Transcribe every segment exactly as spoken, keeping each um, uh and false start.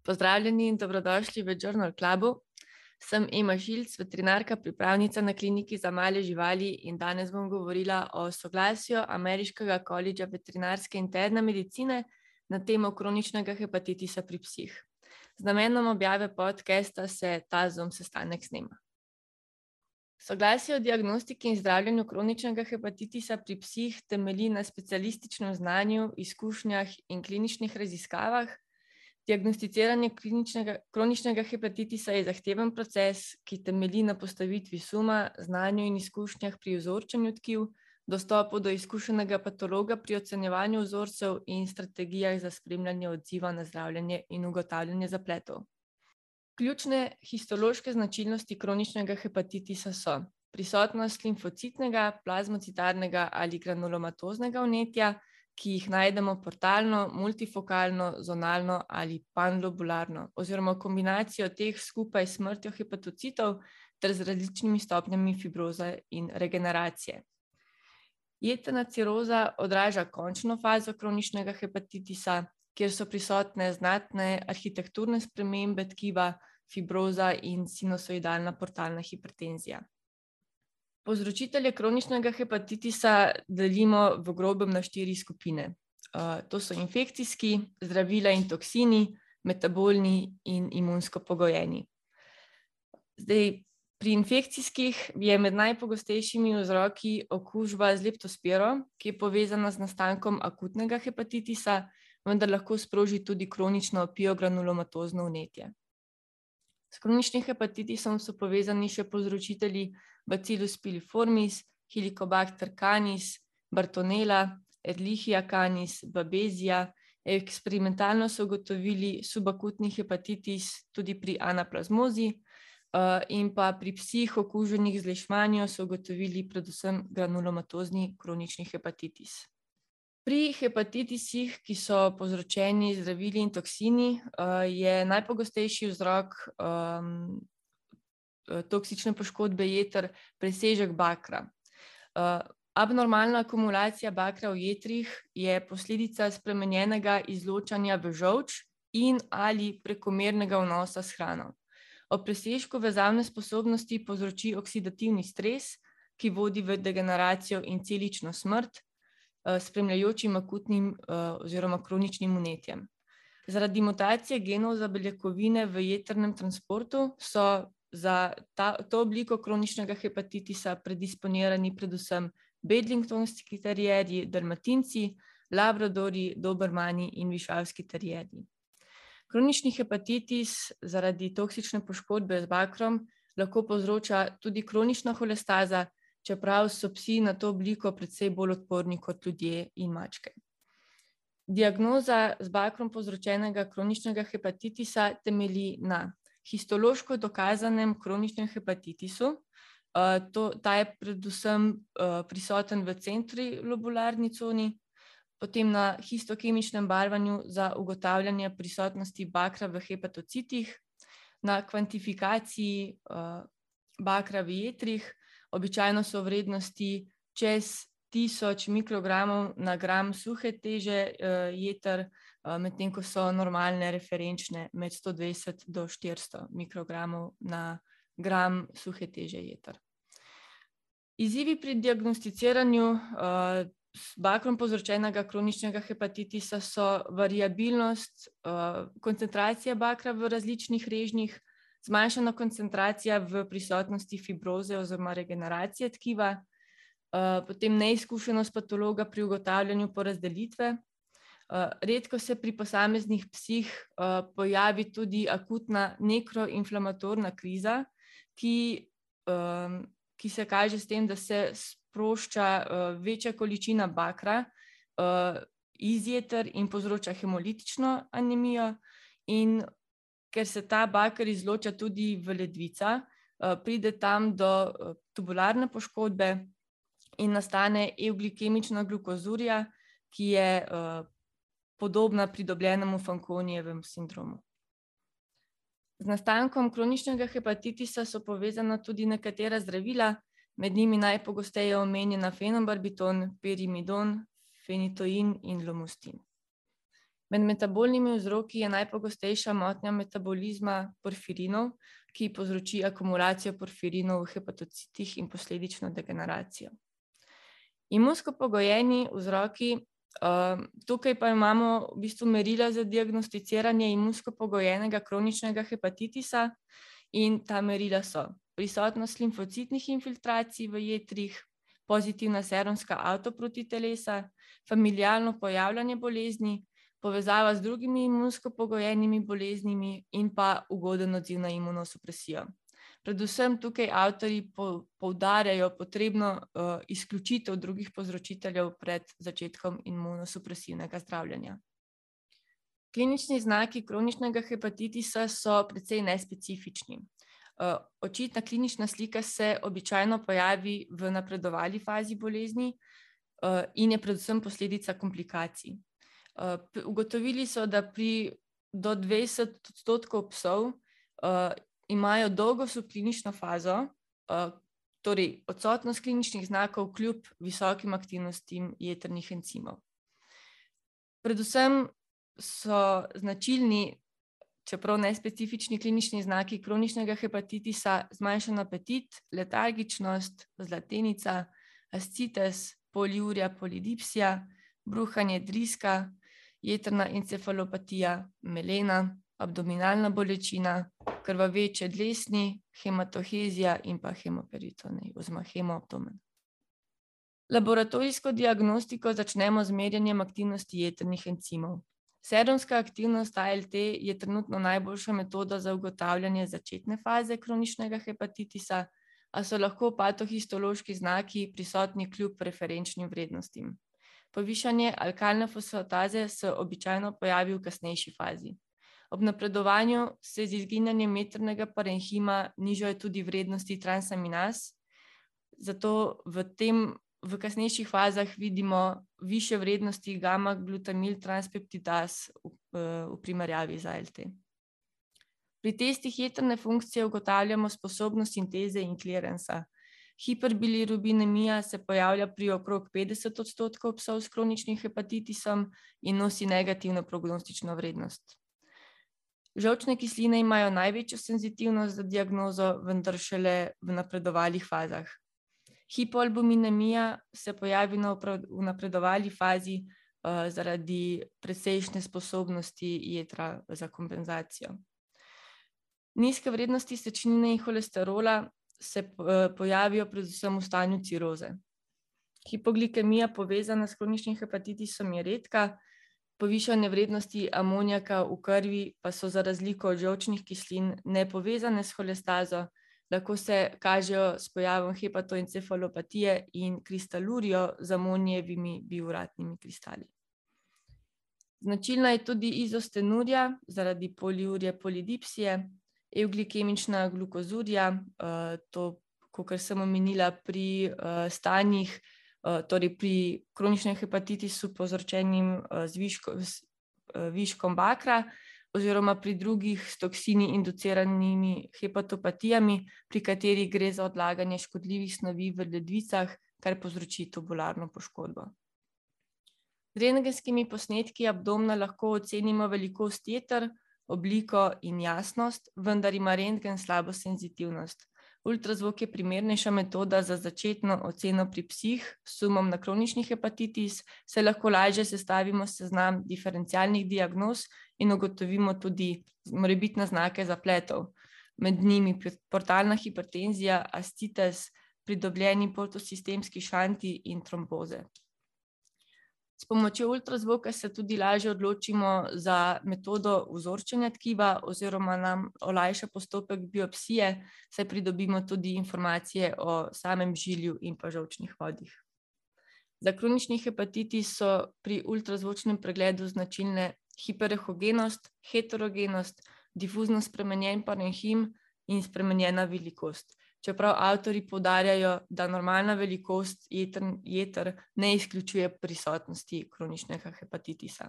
Pozdravljeni in dobrodošli v Journal Clubu. Sem Ema Šilc, veterinarka, pripravnica na kliniki za male živali in danes bom govorila o soglasju Ameriškega kolidža veterinarske interne medicine na temo kroničnega hepatitisa pri psih. Z namenom objave podcasta se ta Zoom sestanek snema. Soglasje o diagnostiki in zdravljenju kroničnega hepatitisa pri psih temelji na specialističnem znanju, izkušnjah in kliničnih raziskavah. Diagnosticiranje kliničnega, kroničnega hepatitisa je zahteven proces, ki temelji na postavitvi suma, znanju in izkušnjah pri vzorčenju tkiv, dostopu do izkušenega patologa pri ocenjevanju vzorcev in strategijah za spremljanje odziva na zdravljenje in ugotavljanje zapletov. Ključne histološke značilnosti kroničnega hepatitisa so prisotnost limfocitnega, plazmocitarnega ali granulomatoznega vnetja, ki jih najdemo portalno, multifokalno, zonalno ali panlobularno, oziroma kombinacijo teh skupaj s smrtjo hepatocitov ter z različnimi stopnjami fibroze in regeneracije. Jetrna ciroza odraža končno fazo kroničnega hepatitisa, kjer so prisotne znatne arhitekturne spremembe tkiva, fibroza in sinusoidalna portalna hipertenzija. Povzročitelje kroničnega hepatitisa delimo v grobem na štiri skupine. Uh, to so infekcijski, zdravila in toksini, metabolni in imunsko pogojeni. Zdaj, pri infekcijskih je med najpogostejšimi vzroki okužba z leptospiro, ki je povezana z nastankom akutnega hepatitisa, vendar lahko sproži tudi kronično piogranulomatozno vnetje. S kroničnim hepatitisom so povezani še povzročitelji Bacillus piliformis, Helicobacter canis, Bartonella, Ehrlichia canis, Babesia. Eksperimentalno so ugotovili subakutni hepatitis tudi pri anaplazmozi in pa pri psih okuženih z leishmanijo so ugotovili predvsem granulomatozni kronični hepatitis. Pri hepatitisih, ki so povzročeni z zdravili in toksini, je najpogostejši vzrok um, toksične poškodbe jeter presežek bakra. Uh, abnormalna akumulacija bakra v jetrih je posledica spremenjenega izločanja v žolč in ali prekomernega vnosa s hrano. Ob presežku vezavne sposobnosti povzroči oksidativni stres, ki vodi v degeneracijo in celično smrt, spremljajočim akutnim uh, oziroma kroničnim vnetjem. Zaradi mutacije genov za beljakovine v jetrnem transportu so za ta, to obliko kroničnega hepatitisa predisponirani predvsem bedlingtonski terierji, dalmatinci, labradorji, dobermani in višavski terierji. Kronični hepatitis zaradi toksične poškodbe z bakrom lahko povzroča tudi kronična holestaza, čeprav so psi na to obliko precej bolj odporni kot ljudje in mačke. Diagnoza z bakrom povzročenega kroničnega hepatitisa temelji na histološko dokazanem kroničnem hepatitisu. To, ta je predvsem prisoten v centrilobularni coni, potem na histokemičnem barvanju za ugotavljanje prisotnosti bakra v hepatocitih, na kvantifikaciji bakra v jetrih. Običajno so vrednosti čez tisoč mikrogramov na gram suhe teže jeter, medtem ko so normalne referenčne med sto dvajset do štiristo mikrogramov na gram suhe teže jeter. Izzivi pri diagnosticiranju s bakrom povzročenega kroničnega hepatitisa so variabilnost, koncentracija bakra v različnih režnjih, zmanjšana koncentracija v prisotnosti fibroze oziroma regeneracije tkiva, potem neizkušenost patologa pri ugotavljanju porazdelitve. Redko se pri posameznih psih pojavi tudi akutna nekroinflamatorna kriza, ki, ki se kaže s tem, da se sprošča večja količina bakra iz jeter in povzroča hemolitično anemijo, in ker se ta baker izloča tudi v ledvica, pride tam do tubularne poškodbe in nastane euglikemična glukozurija, ki je podobna pridobljenemu Fanconijevemu sindromu. Z nastankom kroničnega hepatitisa so povezana tudi nekatera zdravila, med njimi najpogosteje omenjena fenobarbiton, perimidon, fenitoin in lomustin. Med metabolnimi vzroki je najpogostejša motnja metabolizma porfirinov, ki povzroči akumulacijo porfirinov v hepatocitih in posledično degeneracijo. Imunsko pogojeni vzroki, tukaj pa imamo v bistvu merila za diagnosticiranje imunsko pogojenega kroničnega hepatitisa in ta merila so prisotnost limfocitnih infiltracij v jetrih, pozitivna serumska avtoprotitelesa, familiarno pojavljanje bolezni, povezava z drugimi imunsko pogojenimi boleznimi in pa ugoden odziv na imunosupresijo. Predvsem tukaj avtorji poudarjajo potrebno izključitev drugih povzročiteljev pred začetkom imunosupresivnega zdravljenja. Klinični znaki kroničnega hepatitisa so precej nespecifični. Očitna klinična slika se običajno pojavi v napredovali fazi bolezni in je predvsem posledica komplikacij. Ugotovili so, da pri do dvajset odstotkov psov imajo dolgo subklinično fazo, torej odsotnost kliničnih znakov kljub visokim aktivnostim jetrnih encimov. Predvsem so značilni, čeprav nespecifični klinični znaki kroničnega hepatitisa zmanjšan apetit, letargičnost, zlatenica, ascites, poliurija, polidipsija, bruhanje driska, jetrna encefalopatija, melena, abdominalna bolečina, krvaveče dlesni, hematohezija in pa hemoperitonij oziroma hemoabdomen. Laboratorijsko diagnostiko začnemo z merjenjem aktivnosti jetrnih encimov. Serumska aktivnost A L T je trenutno najboljša metoda za ugotavljanje začetne faze kroničnega hepatitisa, a so lahko patohistološki znaki prisotni kljub preferenčnim vrednostim. Povišanje alkalne fosfataze se običajno pojavi v kasnejši fazi. Ob napredovanju se z izginjanjem jetrnega parenhima nižajo tudi vrednosti transaminaz, zato v tem v kasnejših fazah vidimo višje vrednosti gamma-glutamil transpeptidaz v primerjavi z A L T. Pri testih jetrne funkcije ugotavljamo sposobnost sinteze in kliransa. Hiperbilirubinemija se pojavlja pri okrog petdeset odstotkov psov s kroničnim hepatitisom in nosi negativno prognostično vrednost. Žolčne kisline imajo največjo senzitivnost za diagnozo, vendar šele v napredovalih fazah. Hipoalbuminemija se pojavi v napredovali fazi zaradi precejšnje sposobnosti jetra za kompenzacijo. Nizke vrednosti sečnine in holesterola se pojavijo predvsem v stanju ciroze. Hipoglikemija povezana s kroničnim hepatitisom je redka, povišane vrednosti amonijaka v krvi pa so za razliko od žolčnih kislin nepovezane s holestazo, lahko se kažejo s pojavom hepatoencefalopatije in kristalurijo z amonijevimi biuratnimi kristali. Značilna je tudi izostenurija zaradi poliurije polidipsije, evglikemična glukozurija, to, kakor sem omenila pri stanjih, torej pri kroničnem hepatitisu povzročenim z viškom bakra oziroma pri drugih s toksini induciranimi hepatopatijami, pri katerih gre za odlaganje škodljivih snovi v ledvicah, kar povzroči tubularno poškodbo. Z rentgenskimi posnetki abdomna lahko ocenimo velikost jeter, obliko in jasnost, vendar ima rentgen slabo senzitivnost. Ultrazvok je primernejša metoda za začetno oceno pri psih s sumom na kronični hepatitis, saj lahko lažje sestavimo seznam diferencialnih diagnoz in ugotovimo tudi morebitne znake zapletov. Med njimi portalna hipertenzija, ascites, pridobljeni portosistemski šanti in tromboze. S pomočjo ultrazvoka se tudi lažje odločimo za metodo vzorčenja tkiva oziroma nam olajša postopek biopsije, saj pridobimo tudi informacije o samem žilju in pa žolčnih vodih. Za kronični hepatitis so pri ultrazvočnem pregledu značilne hiperehogenost, heterogenost, difuzno spremenjen parenhim in spremenjena velikost. Čeprav avtorji poudarjajo, da normalna velikost jeter ne izključuje prisotnosti kroničnega hepatitisa.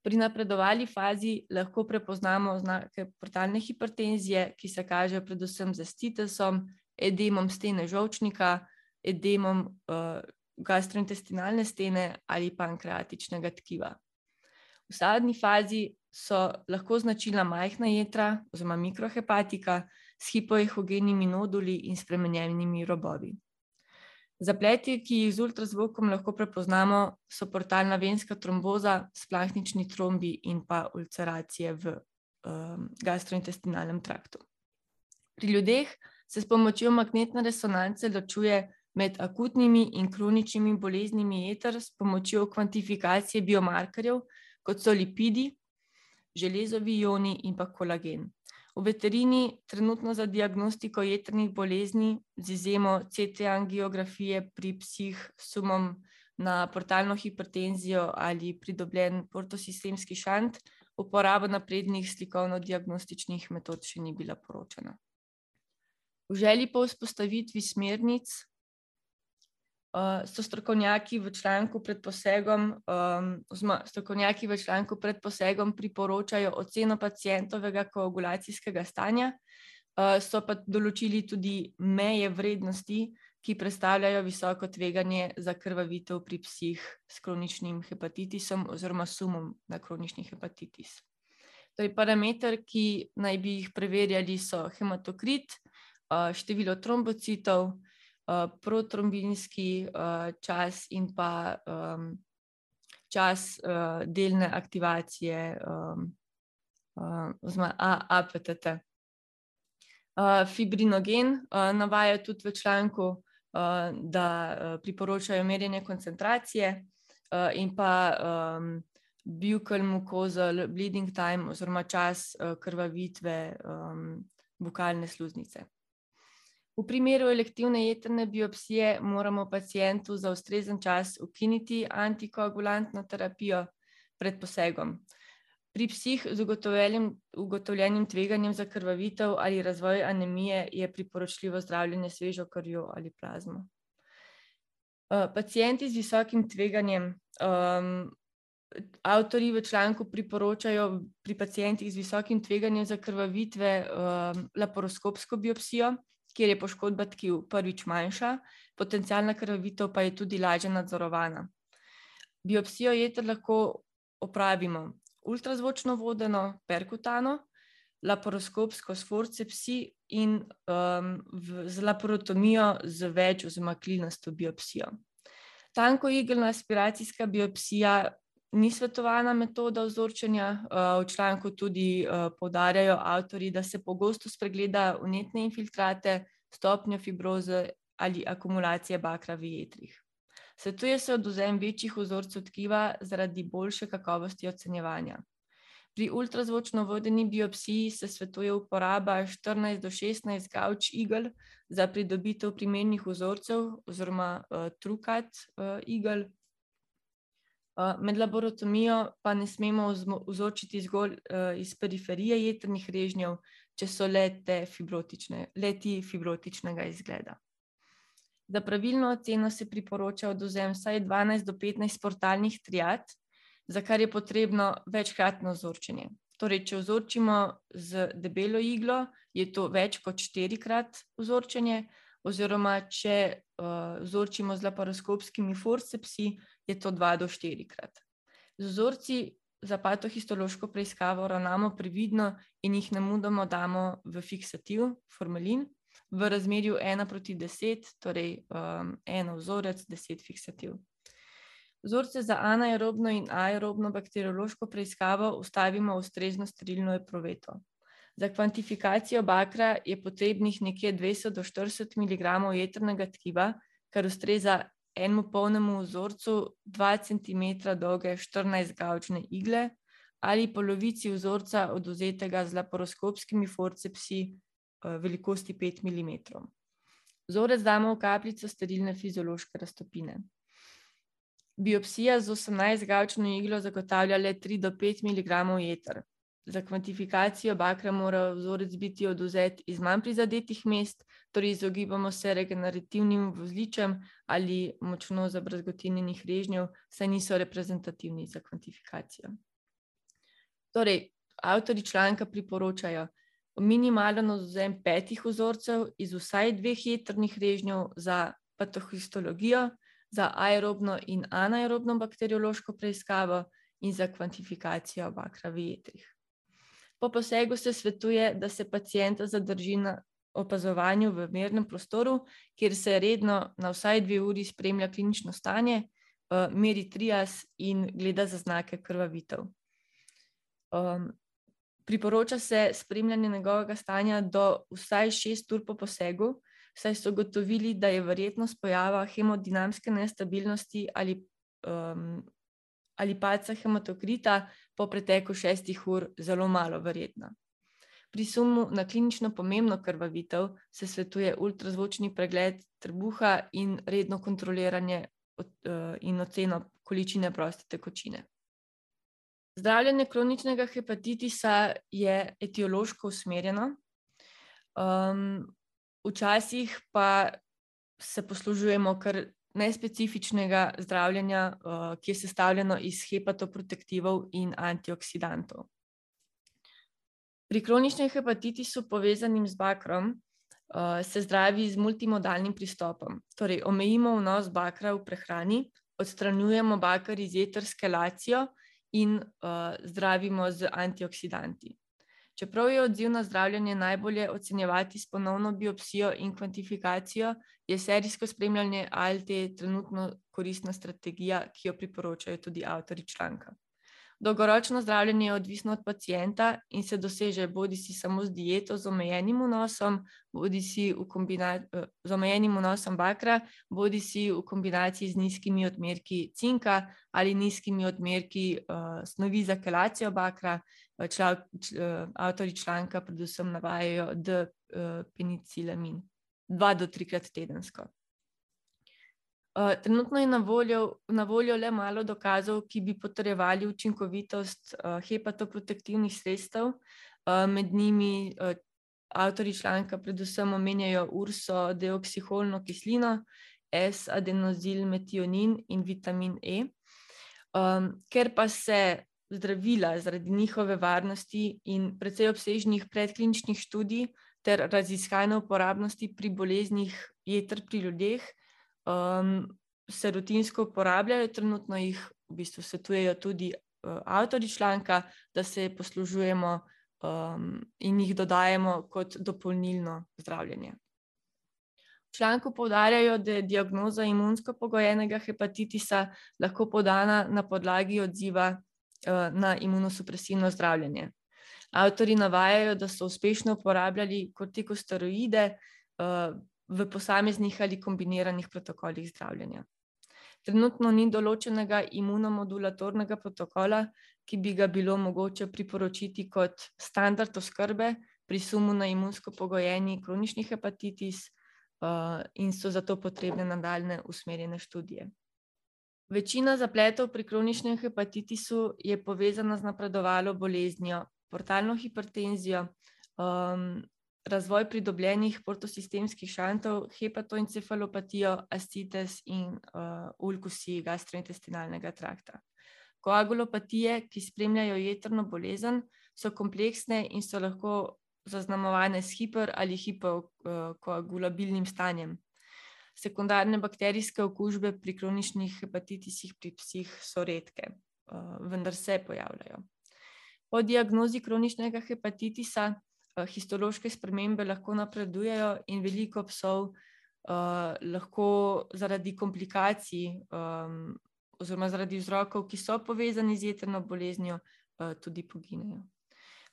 Pri napredovali fazi lahko prepoznamo znake portalne hipertenzije, ki se kažejo predvsem z ascitesom, edemom stene žolčnika, edemom gastrointestinalne stene ali pankreatičnega tkiva. V sadni fazi so lahko značilna majhna jetra oziroma mikrohepatika s hipoehogenimi noduli in spremenjenimi robovi. Zapleti, ki jih z ultrazvokom lahko prepoznamo, so portalna venska tromboza, splahnični trombi in pa ulceracije v um, gastrointestinalnem traktu. Pri ljudeh se s pomočjo magnetne resonance ločuje med akutnimi in kroničnimi boleznimi jeter s pomočjo kvantifikacije biomarkerjev, kot so lipidi, železovi ioni in pa kolagen. V veterini trenutno za diagnostiko jetrnih bolezni z izjemo C T angiografije pri psih s sumom na portalno hipertenzijo ali pridobljen portosistemski šant, uporaba naprednih slikovno-diagnostičnih metod še ni bila poročena. V želji po vzpostavitvi smernic uh, so strokovnjaki v članku pred posegom, um, oziroma strokovnjaki v članku pred posegom priporočajo oceno pacientovega koagulacijskega stanja, uh, so pa določili tudi meje vrednosti, ki predstavljajo visoko tveganje za krvavitev pri psih s kroničnim hepatitisom oziroma sumom na kronični hepatitis. Torej, parameter, ki naj bi jih preverjali, so hematokrit, število trombocitov, protrombinski čas in pa čas delne aktivacije oziroma A P T T. Fibrinogen navaja tudi v članku, da priporočajo merjenje koncentracije in pa buccal mucosal bleeding time oziroma čas krvavitve bukalne sluznice. V primeru elektivne jetrne biopsije moramo pacientu za ustrezen čas ukiniti antikoagulantno terapijo pred posegom. Pri psih z ugotovljenim tveganjem za krvavitev ali razvoj anemije je priporočljivo zdravljenje svežo krvjo ali plazmo. Pacienti z visokim tveganjem, um, avtorji v članku priporočajo pri pacientih z visokim tveganjem za krvavitve um, laparoskopsko biopsijo, kjer je poškodba tkiv prvič manjša, potencialna krvavitev pa je tudi lažje nadzorovana. Biopsijo jeter lahko opravimo ultrazvočno vodeno perkutano, laparoskopsko s forcepsi in um, v, z laparotomijo z več oziroma klinasto biopsijo. Tankoigelna aspiracijska biopsija ni svetovana metoda vzorčenja, v članku tudi poudarjajo avtorji, da se pogosto spregleda vnetne infiltrate, stopnjo fibroze ali akumulacije bakra v jetrih. Svetuje se odvzem večjih vzorcev tkiva zaradi boljše kakovosti ocenjevanja. Pri ultrazvočno vodeni biopsiji se svetuje uporaba štirinajst do šestnajst gauč igel za pridobitev primernih vzorcev oziroma uh, trukat uh, igel. Med laboratorijo pa ne smemo vzorčiti zgolj iz periferije jetrnih režnjev, če so le-te fibrotične, le-ti fibrotičnega izgleda. Za pravilno oceno se priporoča odvzem vsaj dvanajst do petnajst portalnih triad, za kar je potrebno večkratno vzorčenje. Torej, če vzorčimo z debelo iglo, je to več kot štirikrat vzorčenje, oziroma če uh, vzorčimo z laparoskopskimi forcepsi, je to dva do štirikrat. Z vzorci za patohistološko preiskavo ravnamo previdno in jih nemudoma damo v fiksativ, formalin, v razmerju ena proti deset, torej um, eno vzorec, deset fiksativ. Vzorce za anaerobno in aerobno bakteriološko preiskavo ustavimo v ustrezno sterilno epruveto. Za kvantifikacijo bakra je potrebnih nekje dvajset do štirideset miligramov jetrnega tkiva, kar ustreza enemu polnemu vzorcu dva centimetra dolge štirinajstgaučne igle ali polovici vzorca odvzetega z laparoskopskimi forcepsi velikosti pet milimetrov. Vzorec damo v kapljico sterilne fiziološke raztopine. Biopsija z osemnajstgaučno iglo zagotavlja le tri do pet miligramov jeter. Za kvantifikacijo bakra mora vzorec biti odvzet iz manj prizadetih mest, torej izogibamo se regenerativnim vozličem ali močno zabrazgotinjenih režnjev, saj niso reprezentativni za kvantifikacijo. Torej, avtorji članka priporočajo minimalen odvzem petih vzorcev iz vsaj dveh jetrnih režnjev za patohistologijo, za aerobno in anaerobno bakteriološko preiskavo in za kvantifikacijo bakra v jetrih. Po posegu se svetuje, da se pacienta zadrži na opazovanju v mirnem prostoru, kjer se redno na vsaj dve uri spremlja klinično stanje, meri trias in gleda za znake krvavitev. Um, priporoča se spremljanje njegovega stanja do vsaj šest ur po posegu, saj so ugotovili, da je verjetnost pojava hemodinamske nestabilnosti ali, um, ali padca hematokrita po preteku šestih ur zelo malo verjetna. Pri sumu na klinično pomembno krvavitev se svetuje ultrazvočni pregled trebuha in redno kontroliranje in oceno količine proste tekočine. Zdravljenje kroničnega hepatitisa je etiološko usmerjeno. Um, včasih pa se poslužujemo kar nespecifičnega zdravljenja, uh, ki je sestavljeno iz hepatoprotektivov in antioksidantov. Pri kroničnem hepatitisu povezanim z bakrom uh, se zdravi z multimodalnim pristopom. Torej, omejimo vnos bakra v prehrani, odstranjujemo baker iz jeter s kelacijo in uh, zdravimo z antioksidanti. Čeprav je odziv na zdravljenje najbolje ocenjevati s ponovno biopsijo in kvantifikacijo, je serijsko spremljanje A L T trenutno koristna strategija, ki jo priporočajo tudi avtorji članka. Dolgoročno zdravljenje je odvisno od pacienta in se doseže bodisi samo z dieto z omejenim vnosom, bodisi v kombinaciji z omejenim vnosom bakra, bodisi v kombinaciji z nizkimi odmerki cinka ali nizkimi odmerki uh, snovi za kelacijo bakra. Čla, čl, avtorji članka predvsem navajajo D-penicilamin, dva do trikrat tedensko. Uh, trenutno je na voljo, na voljo le malo dokazov, ki bi potrjevali učinkovitost uh, hepatoprotektivnih sredstev. Uh, med njimi uh, avtorji članka predvsem omenjajo urso deoksiholno kislino, S-adenozilmetionin in vitamin E. Um, ker pa se zdravila zaradi njihove varnosti in precej obsežnih predkliničnih študij ter raziskane uporabnosti pri boleznih jeter pri ljudeh, Um, se rutinsko uporabljajo, trenutno jih v bistvu svetujejo tudi uh, avtorji članka, da se poslužujemo um, in jih dodajemo kot dopolnilno zdravljenje. V članku poudarjajo, da je diagnoza imunsko pogojenega hepatitisa lahko podana na podlagi odziva uh, na imunosupresivno zdravljenje. Avtorji navajajo, da so uspešno uporabljali kortikosteroide uh, v posameznih ali kombiniranih protokolih zdravljenja. Trenutno ni določenega imunomodulatornega protokola, ki bi ga bilo mogoče priporočiti kot standard oskrbe pri sumu na imunsko pogojeni kronični hepatitis uh, in so zato potrebne nadaljnje usmerjene študije. Večina zapletov pri kroničnem hepatitisu je povezana z napredovalo boleznijo, portalno hipertenzijo, um, razvoj pridobljenih portosistemskih šantov, hepatoencefalopatijo, ascites in uh, ulkusi gastrointestinalnega trakta. Koagulopatije, ki spremljajo jetrno bolezen, so kompleksne in so lahko zaznamovane s hiper- ali hipokoagulabilnim stanjem. Sekundarne bakterijske okužbe pri kroničnih hepatitisih pri psih so redke, uh, vendar se pojavljajo. Po diagnozi kroničnega hepatitisa histološke spremembe lahko napredujejo in veliko psov uh, lahko zaradi komplikacij um, oziroma zaradi vzrokov, ki so povezani z jetrno boleznijo, uh, tudi poginejo.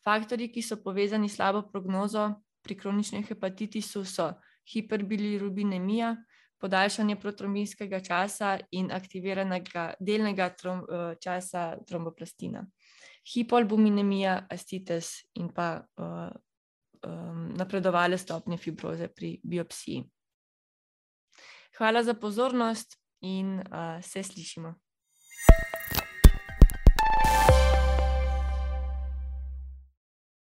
Faktorji, ki so povezani s slabo prognozo pri kroničnem hepatitisu, so hiperbilirubinemija, podaljšanje protrombinskega časa in aktiviranega delnega trom, uh, časa tromboplastina, hipoalbuminemija, ascites in pa uh, napredovale stopnje fibroze pri biopsiji. Hvala za pozornost in uh, se slišimo.